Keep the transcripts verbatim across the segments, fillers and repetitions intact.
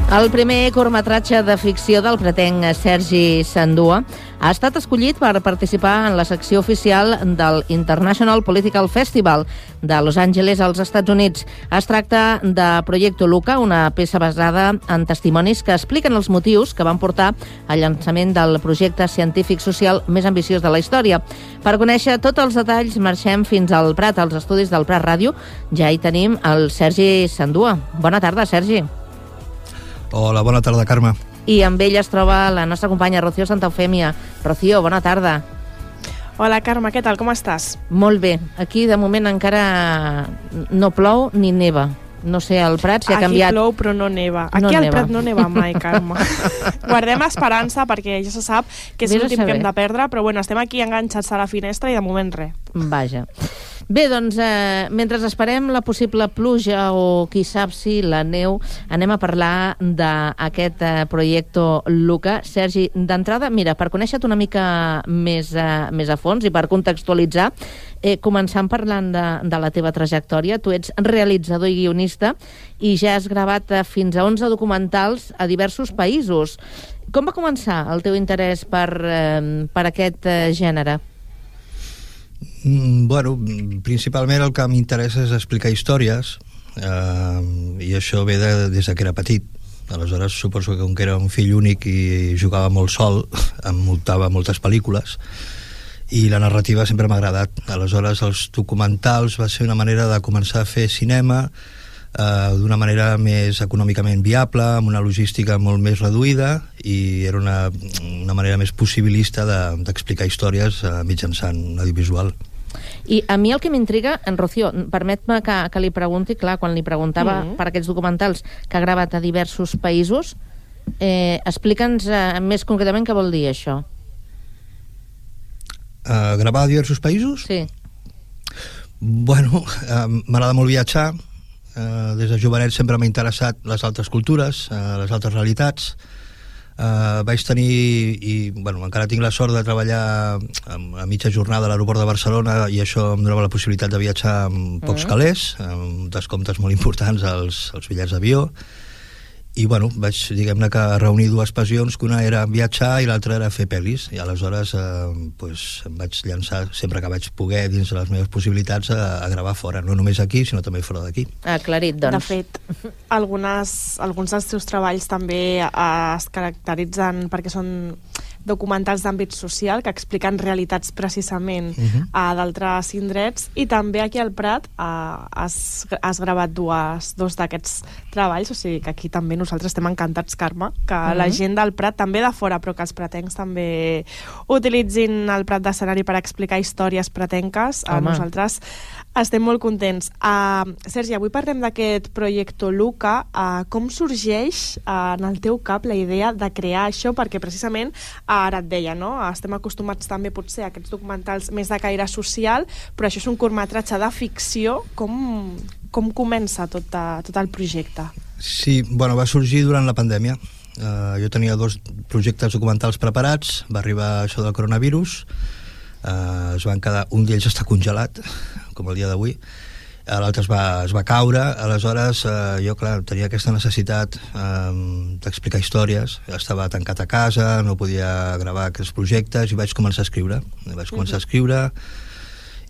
El primer curtmetratge de ficció del pretenc Sergi Sandua ha estat escollit per participar en la secció oficial del International Political Festival de Los Angeles, als Estats Units. Es tracta de Proyecto Luca, una peça basada en testimonis que expliquen els motius que van portar al llançament del projecte científic social més ambiciós de la història. Per conèixer tots els detalls, marxem fins al Prat, als estudis del Prat Ràdio. Ja hi tenim el Sergi Sandua. Bona tarda, Sergi. Hola, bona tarda, Carme. I amb ell es troba la nostra companya Rocío Santaeufèmia. Rocío, bona tarda. Hola, Carme, què tal? Com estàs? Molt bé. Aquí, de moment, encara no plou ni neva. No sé, al Prat s'hi ha canviat... Aquí plou, però no neva. Aquí no al neva. Prat no neva mai, Carme. Guardem esperança, perquè ja se sap que és Vés a l'últim que saber. hem de perdre, però bueno, estem aquí enganxats a la finestra i de moment res. Vaja. Bé, doncs, eh, mentre esperem la possible pluja o qui sap si la neu, anem a parlar d'aquest eh, Proyecto Luca. Sergi, d'entrada, mira, per conèixer-te una mica més, eh, més a fons i per contextualitzar, eh, començant parlant de, de la teva trajectòria, tu ets realitzador i guionista i ja has gravat eh, fins a onze documentals a diversos països. Com va començar el teu interès per, eh, per aquest eh, gènere? Mm, bueno, principalment el que m'interessa és explicar històries, eh, i això ve de, des de que era petit. Aleshores, suposo que com que era un fill únic i jugava molt sol, em muntava moltes pel·lícules, i la narrativa sempre m'ha agradat. Aleshores, els documentals va ser una manera de començar a fer cinema eh, d'una manera més econòmicament viable, amb una logística molt més reduïda, i era una, una manera més possibilista de- d'explicar històries eh, mitjançant un audiovisual. I a mi el que m'intriga, en Rocío, permet-me que, que li pregunti, clar, quan li preguntava Mhm. per aquests documentals que ha gravat a diversos països, eh, explica'ns eh, més concretament què vol dir això. Uh, gravar a diversos països? Sí. Bueno, uh, m'agrada molt viatjar. Uh, des de jovenet sempre m'ha interessat les altres cultures, uh, les altres realitats. Uh, vaig tenir, i bueno, encara tinc la sort de treballar a mitja jornada a l'aeroport de Barcelona, i això em donava la possibilitat de viatjar amb pocs Mm. calés, amb descomptes molt importants als, als bitllets d'avió. I bueno, vaig, diguem-ne, que reunir dues passions, que una era viatjar i l'altra era fer pel·lis, i aleshores eh, pues, em vaig llançar sempre que vaig poder, dins de les meves possibilitats, a, a gravar fora, no només aquí, sinó també fora d'aquí. Aclarit, doncs. De fet, algunes, alguns dels teus treballs també eh, es caracteritzen perquè són documentals d'àmbit social que expliquen realitats precisament Mhm. a d'altres indrets, i també aquí al Prat eh, has, has gravat dues, dos d'aquests treballs, o sigui que aquí també nosaltres estem encantats, Carme, que Mhm. la gent del Prat, també de fora, però que els pratencs també utilitzin el Prat d'escenari per explicar històries pratenques. Eh, Home. nosaltres estem molt contents. Uh, Sergi, avui parlem d'aquest Proyecto Luca. Uh, com sorgeix uh, en el teu cap la idea de crear això? Perquè precisament, uh, ara et deia, no? Estem acostumats també potser a aquests documentals més de caire social, però això és un curtmetratge de ficció. Com, com comença tot, uh, tot el projecte? Sí, bueno, va sorgir durant la pandèmia. Uh, jo tenia dos projectes documentals preparats, va arribar això del coronavirus, uh, es van quedar, un d'ells està congelat, com el dia d'avui, uh, l'altre es, va, es va caure. Aleshores uh, jo, clar, tenia aquesta necessitat um, d'explicar històries, estava tancat a casa, no podia gravar aquests projectes, i vaig començar a escriure, vaig començar a escriure,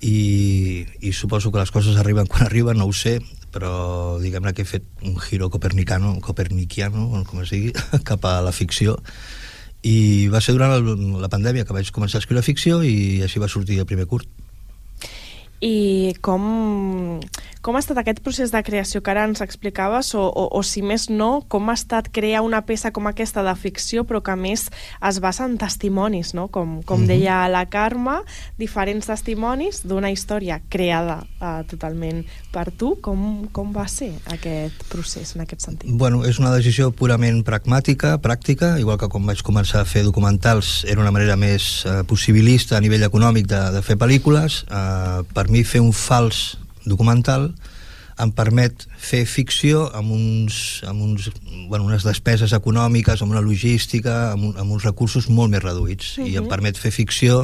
i, i suposo que les coses arriben quan arriben, no ho sé, però diguem-ne que he fet un giro copernicano, coperniciano, com es digui, cap a la ficció, i va ser durant el, la pandèmia que vaig començar a escriure ficció, i així va sortir el primer curt. I com, com ha estat aquest procés de creació que ara ens explicaves, o, o, o si més no, com ha estat crear una peça com aquesta de ficció, però que a més es basa en testimonis, no? Com, com Mhm. deia la Carme, diferents testimonis d'una història creada uh, totalment per tu. Com, com va ser aquest procés en aquest sentit? Bueno, és una decisió purament pragmàtica, pràctica, igual que quan vaig començar a fer documentals era una manera més eh, possibilista a nivell econòmic de, de fer pel·lícules. Eh, per mi fer un fals documental em permet fer ficció amb, uns, amb uns, bueno, unes despeses econòmiques, amb una logística, amb, un, amb uns recursos molt més reduïts. Mhm. I em permet fer ficció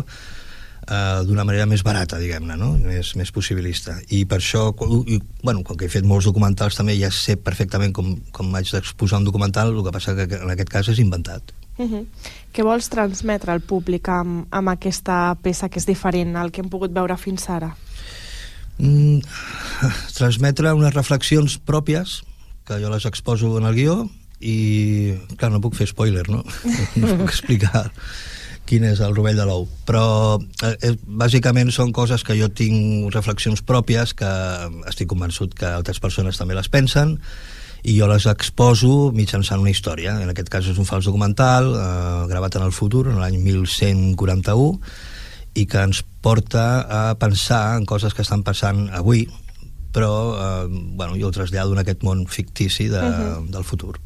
Uh, d'una manera més barata, diguem-ne, no? més, més possibilista. I per això, i, bueno, com que he fet molts documentals també ja sé perfectament com, com haig d'exposar un documental, el que passa que en aquest cas és inventat. Uh-huh. Què vols transmetre al públic amb, amb aquesta peça que és diferent al que hem pogut veure fins ara? Mm, transmetre unes reflexions pròpies, que jo les exposo en el guió, i, clar, no puc fer spoiler, no? No puc explicar quin és el rovell de l'ou, però eh, bàsicament són coses que jo tinc reflexions pròpies que estic convençut que altres persones també les pensen i jo les exposo mitjançant una història. En aquest cas és un fals documental eh, gravat en el futur, en l'any mil cent quaranta-u, i que ens porta a pensar en coses que estan passant avui, però eh, bueno, jo ho trasllado en aquest món fictici de, uh-huh. del futur.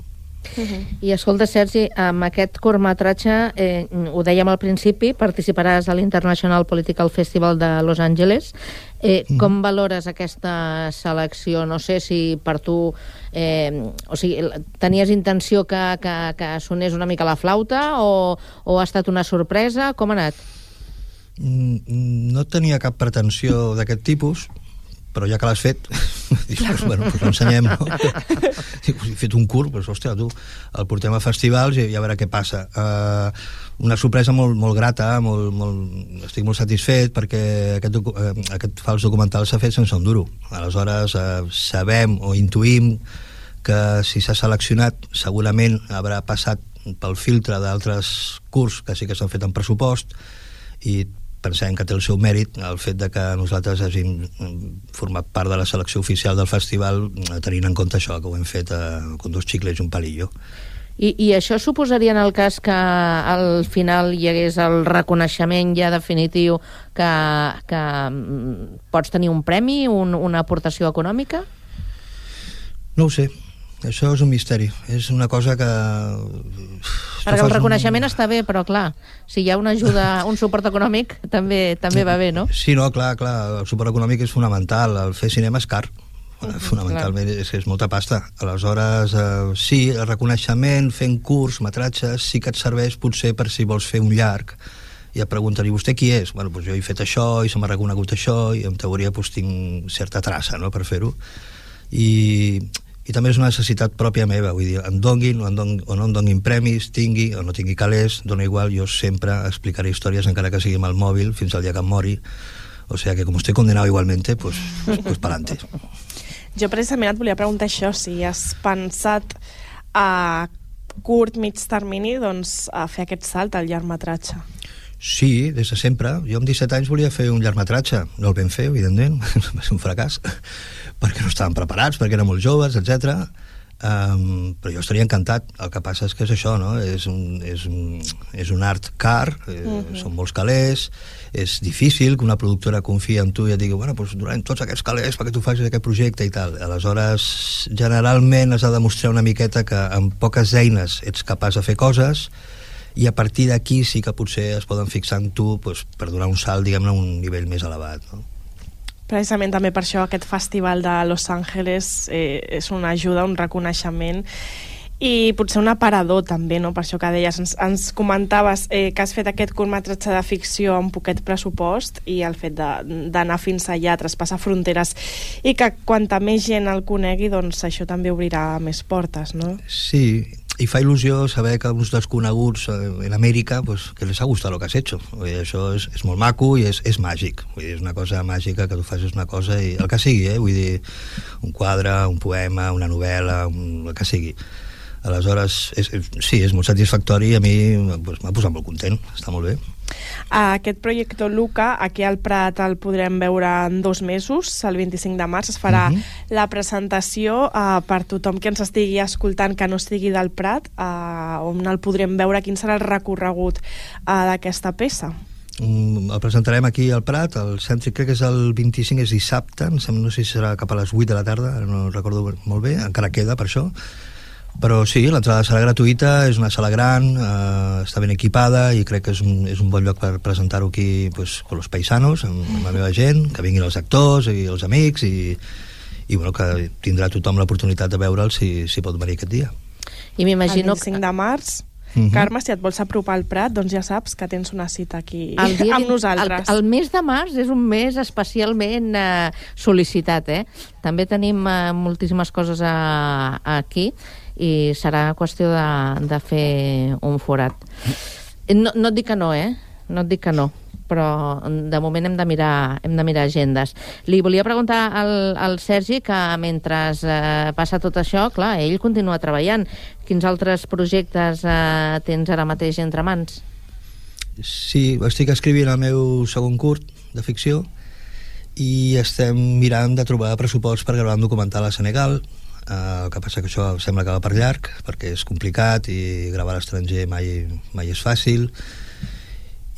Uh-huh. I escolta, Sergi, amb aquest curtmetratge, eh, ho dèiem al principi, participaràs a l'International Political Festival de Los Angeles. Eh, uh-huh. Com valores aquesta selecció? No sé si per tu eh, o sigui, tenies intenció que, que, que sonés una mica la flauta o, o ha estat una sorpresa? Com ha anat? No tenia cap pretensió d'aquest tipus, però ja que l'has fet, dius, pues, bueno, pues l'ensenyem, no? He fet un curt, pues, hòstia, tu, el portem a festivals i ja veurà què passa. Uh, una sorpresa molt, molt grata, molt, molt, estic molt satisfet perquè aquest, docu uh, aquest fals documental s'ha fet sense un duro. Aleshores, uh, sabem o intuïm que si s'ha seleccionat segurament haurà passat pel filtre d'altres curts que sí que s'han fet en pressupost i pensem que té el seu mèrit el fet de que nosaltres hàgim format part de la selecció oficial del festival tenint en compte això, que ho hem fet eh, con dos xicles i un palillo. I, I això suposaria en el cas que al final hi hagués el reconeixement ja definitiu que, que pots tenir un premi, un, una aportació econòmica? No ho sé. Això és un misteri. És una cosa que... Perquè el reconeixement un... està bé, però clar, si hi ha una ajuda, un suport econòmic, també també va bé, no? Sí, no, clar, clar, el suport econòmic és fonamental. El fer cinema és car. Uh-huh, fonamentalment clar. és que és molta pasta. Aleshores, eh, sí, el reconeixement, fent curts, metratges, sí que et serveix potser per si vols fer un llarg i et pregunten, i vostè qui és? Bueno, doncs jo he fet això i se m'ha reconegut això i en teoria doncs, tinc certa traça, no?, per fer-ho. I... i també és una necessitat pròpia meva, vull dir, em donguin o, em don, o no em donguin premis, tingui o no tingui calés, dona igual, jo sempre explicaré històries encara que sigui amb el mòbil fins al dia que em mori, o sigui que com estoy condenado igualmente, pues, pues pa'lante. Jo precisament et volia preguntar això, si has pensat a curt, mig termini, doncs a fer aquest salt al llargmetratge. Sí, des de sempre. Jo amb disset anys volia fer un llargmetratge. No el vam fer, evidentment, va ser un fracàs, perquè no estàvem preparats, perquè érem molt joves, etcètera. Um, però jo estaria encantat. El que passa és que és això, no? És un, és un, és un art car, eh, uh-huh. són molts calés, és difícil que una productora confia en tu i et digui, bueno, doncs durant tots aquests calés perquè tu facis aquest projecte i tal. Aleshores, generalment has de demostrar una miqueta que amb poques eines ets capaç de fer coses i a partir d'aquí sí que potser es poden fixar en tu pues, per donar un salt, diguem-ne, a un nivell més elevat, no? Precisament també per això aquest festival de Los Angeles eh, és una ajuda, un reconeixement i potser un aparador també, no? Per això que deies, ens, ens comentaves eh, que has fet aquest curtmetratge de ficció amb poquet pressupost i el fet d'anar fins allà, traspassar fronteres i que quanta més gent el conegui, doncs això també obrirà més portes, no? Sí, i fa il·lusió saber que uns desconeguts en Amèrica, pues, que les ha gustat lo que has hecho. Vull dir, això és, és molt maco i és, és màgic. Vull dir, és una cosa màgica que tu facis una cosa i el que sigui, eh? Vull dir, un quadre, un poema, una novel·la, un, el que sigui. Aleshores, és, és, sí, és molt satisfactori i a mi pues, m'ha posat molt content, està molt bé. Aquest projecte Luca, aquí al Prat el podrem veure en dos mesos, el vint-i-cinc de març es farà uh-huh. la presentació uh, per tothom que ens estigui escoltant que no estigui del Prat, uh, on el podrem veure, quin serà el recorregut uh, d'aquesta peça. Um, el presentarem aquí al Prat, el cèntric crec que és el vint-i-cinc, és dissabte, no sé si serà cap a les vuit de la tarda, ara no recordo molt bé, encara queda per això. Però sí, l'entrada serà gratuïta, és una sala gran, eh, està ben equipada i crec que és un, és un bon lloc per presentar-ho aquí pues, con los paisanos, amb, amb la meva gent, que vinguin els actors i els amics i, i bueno, que tindrà tothom l'oportunitat de veure'l si, si pot venir aquest dia. I m'imagino el vint-i-cinc de març Mm-hmm. Carme, si et vols apropar al Prat, doncs ja saps que tens una cita aquí el dia, amb nosaltres. El, el mes de març és un mes especialment eh, sol·licitat, eh? També tenim eh, moltíssimes coses a, a aquí i serà qüestió de, de fer un forat. No, no et dic que no, eh? No et dic que no, però de moment hem de mirar, hem de mirar agendes. Li volia preguntar al, al Sergi que mentre eh, passa tot això, clar, ell continua treballant. Quins altres projectes eh, tens ara mateix entre mans? Sí, estic escrivint el meu segon curt de ficció i estem mirant de trobar pressupost per gravar un documental a Senegal. Uh, el que passa que això sembla que va per llarg perquè és complicat i gravar a l'estranger mai, mai és fàcil.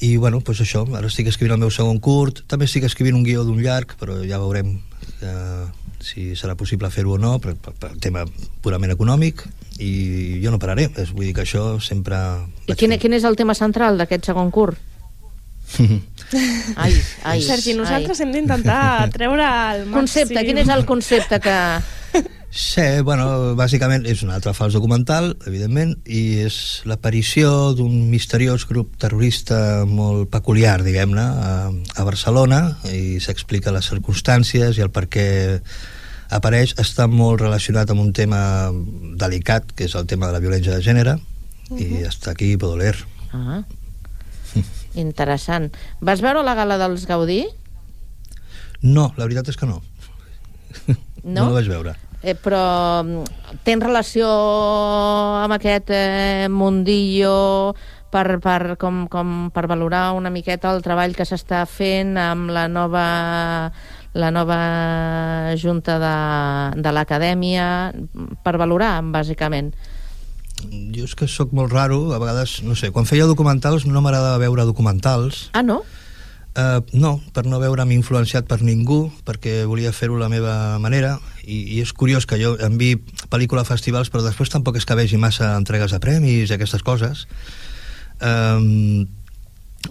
I bueno, doncs això, ara estic escrivint el meu segon curt, també estic escrivint un guió d'un llarg, però ja veurem eh, si serà possible fer-ho o no, per, per, per tema purament econòmic, i jo no pararé, és, vull dir que això sempre... I quin, quin és el tema central d'aquest segon curt? ai, ai, Sergi, nosaltres ai. hem d'intentar treure el màxim... Concepte, quin és el concepte que... Sí, bueno, bàsicament és un altre fals documental, evidentment, i és l'aparició d'un misteriós grup terrorista molt peculiar, diguem-ne, a, a Barcelona, i s'explica les circumstàncies i el per què apareix. Està molt relacionat amb un tema delicat, que és el tema de la violència de gènere, uh-huh. i està aquí Baudelaire. Ah, interessant. Vas veure la gala dels Gaudí? No, la veritat és que no. No? No la vaig veure. Eh, però tens relació amb aquest eh, mundillo per, per, com, com per valorar una miqueta el treball que s'està fent amb la nova, la nova junta de, de l'acadèmia, per valorar, bàsicament? Jo és que sóc molt raro, a vegades, no sé, quan feia documentals no m'agradava veure documentals. Ah, no? Uh, no, per no veure'm influenciat per ningú, perquè volia fer-ho a la meva manera, i, i és curiós que jo enviï pel·lícula a festivals, però després tampoc és que vegi massa entregues de premis i aquestes coses. Um,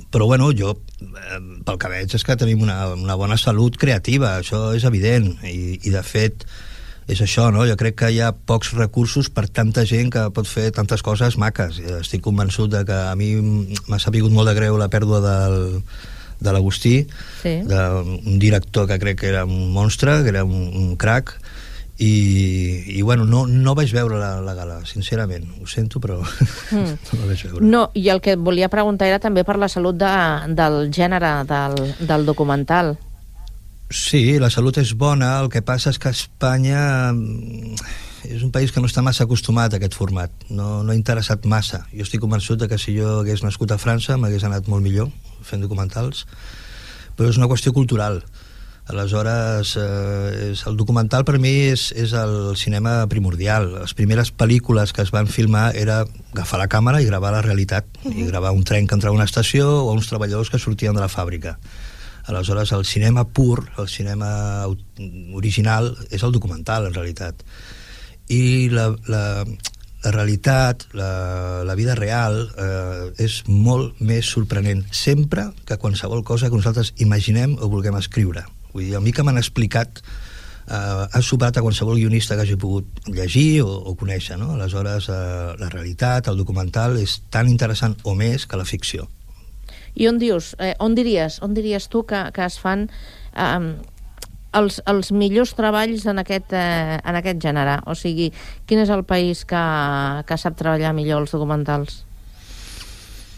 però bueno, jo eh, pel que veig és que tenim una, una bona salut creativa, això és evident, i, i de fet és això, no? Jo crec que hi ha pocs recursos per tanta gent que pot fer tantes coses maques. Estic convençut de que a mi m'ha sapigut molt de greu la pèrdua del de l'Agustí, sí. d'un director que crec que era un monstre, que era un, un crac, i, i bueno, no, no vaig veure la, la gala, sincerament, ho sento, però mm. no la vaig veure. No, i el que et volia preguntar era també per la salut de, del gènere del, del documental. Sí, la salut és bona, el que passa és que Espanya és un país que no està massa acostumat a aquest format, no, no ha interessat massa. Jo estic convençut de que si jo hagués nascut a França m'hagués anat molt millor fent documentals, però és una qüestió cultural. Aleshores, eh, és, el documental per mi és, és el cinema primordial. Les primeres pel·lícules que es van filmar era agafar la càmera i gravar la realitat, uh-huh. i gravar un tren que entrava a una estació o uns treballadors que sortien de la fàbrica. Aleshores, el cinema pur, el cinema original, és el documental, en realitat. I la, la, la realitat, la, la vida real, eh, és molt més sorprenent sempre que qualsevol cosa que nosaltres imaginem o vulguem escriure. Vull dir, a mi que m'han explicat eh, ha superat a qualsevol guionista que hagi pogut llegir o, o conèixer, no? Aleshores, eh, la realitat, el documental, és tan interessant o més que la ficció. I on dius, eh, on diries, on diries tu que, que es fan eh, els, els millors treballs en aquest, eh, en aquest gènere? O sigui, quin és el país que, que sap treballar millor els documentals?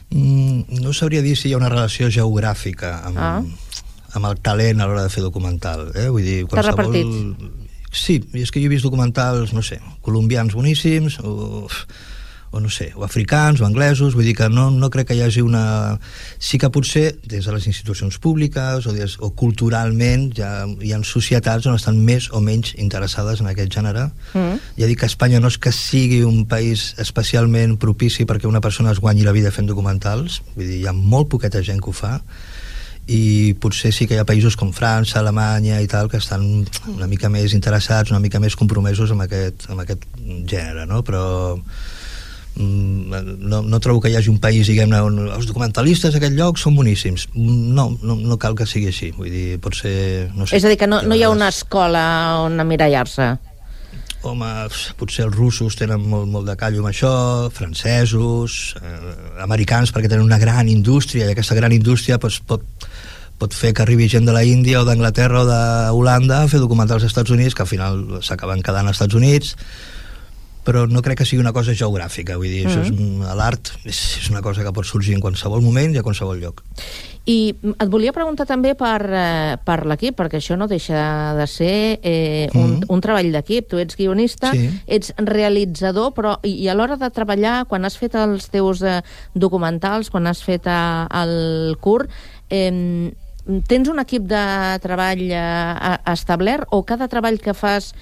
Mm, no sabria dir si hi ha una relació geogràfica amb, ah. amb el talent a l'hora de fer documental. Eh? Vull dir, qualsevol... T'ha repartit? Sí, és que jo he vist documentals, no sé, colombians boníssims, o... o no sé, o africans o anglesos, vull dir que no, no crec que hi hagi una... Sí que potser des de les institucions públiques o, des, o culturalment ja hi ha societats on estan més o menys interessades en aquest gènere. Mm. Ja dic que Espanya no és que sigui un país especialment propici perquè una persona es guanyi la vida fent documentals, vull dir, hi ha molt poqueta gent que ho fa, i potser sí que hi ha països com França, Alemanya i tal, que estan una mica més interessats, una mica més compromesos amb aquest, amb aquest gènere, no? Però no, no trobo que hi hagi un país, diguem-ne, on els documentalistes d'aquest lloc són boníssims. No, no, no cal que sigui així. Vull dir, pot ser... No sé, és a dir, que no, no hi ha una escola on emmirallar-se. home, potser els russos tenen molt, molt de callo amb això, francesos, eh, americans, perquè tenen una gran indústria, i aquesta gran indústria doncs, pot, pot fer que arribi gent de la Índia o d'Anglaterra o d'Holanda a fer documentals als Estats Units, que al final s'acaben quedant als Estats Units, però no crec que sigui una cosa geogràfica, vull dir, mm. això és, l'art és, és una cosa que pot sorgir en qualsevol moment i a qualsevol lloc. I et volia preguntar també per, eh, per l'equip, perquè això no deixa de ser eh, un, mm. un treball d'equip. Tu ets guionista, sí. ets realitzador, però i, i a l'hora de treballar, quan has fet els teus eh, documentals, quan has fet eh, el curt, eh, tens un equip de treball eh, establert o cada treball que fas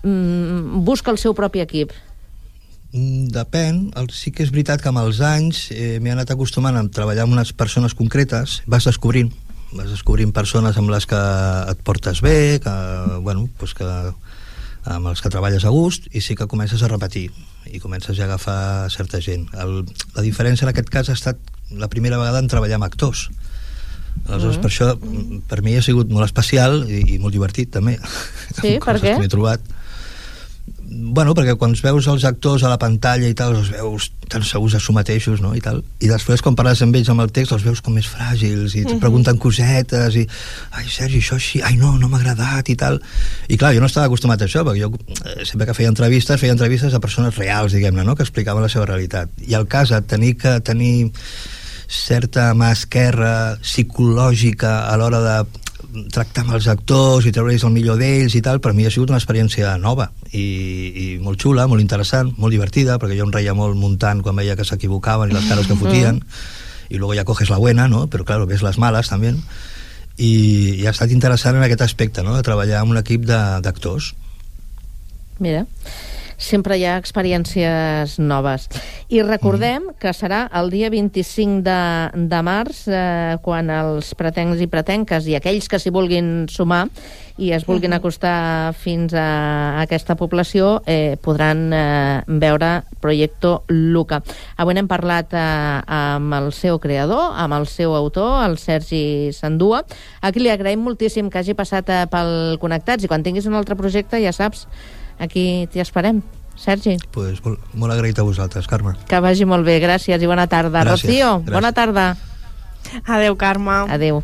mm, busca el seu propi equip? Depèn. Sí que és veritat que amb els anys eh, m'he anat acostumant a treballar amb unes persones concretes, vas descobrint vas descobrint persones amb les que et portes bé, que, bueno, pues que, amb els que treballes a gust, i sí que comences a repetir i comences ja a agafar certa gent. El, la diferència en aquest cas ha estat la primera vegada en treballar amb actors. Aleshores, mm. per això, per mi ha sigut molt especial i, i molt divertit també. Sí, per què? M'he trobat. Bueno, perquè quan veus els actors a la pantalla i tal, els veus tan segurs de su mateixos, no? I tal. I després, quan parles amb ells amb el text, els veus com més fràgils i et mm-hmm. pregunten cosetes i ai, Sergi, això així, ai no, no m'ha agradat i tal. I clar, jo no estava acostumat a això, perquè jo eh, sempre que feia entrevistes, feia entrevistes a persones reals, diguem-ne, no? Que explicaven la seva realitat. I el cas de tenir que tenir certa mà esquerra psicològica a l'hora de tractar amb els actors i treure'ls el millor d'ells i tal, per mi ha sigut una experiència nova i, i molt xula, molt interessant, molt divertida, perquè jo em reia molt muntant quan veia que s'equivocaven i les cares que fotien, i luego ja coges la buena, ¿no? Però claro, ves les males també, i, i ha estat interessant en aquest aspecte, no? De treballar amb un equip d'actors. Mira, sempre hi ha experiències noves. I recordem mm. que serà el dia vint-i-cinc de, de març, eh, quan els pretencs i pretenques i aquells que s'hi vulguin sumar i es vulguin mm-hmm. acostar fins a, a aquesta població eh, podran eh, veure Proyecto Luca. Avui n'hem parlat eh, amb el seu creador, amb el seu autor, el Sergi Sandua. Aquí li agraïm moltíssim que hagi passat eh, pel Connectats, i quan tinguis un altre projecte ja saps, aquí t'hi esperem. Sergi. Pues molt, molt agraït a vosaltres, Carme. Que vagi molt bé, gràcies i bona tarda. Gràcies, Rocío, gràcies. Bona tarda. Adéu, Carme. Adéu.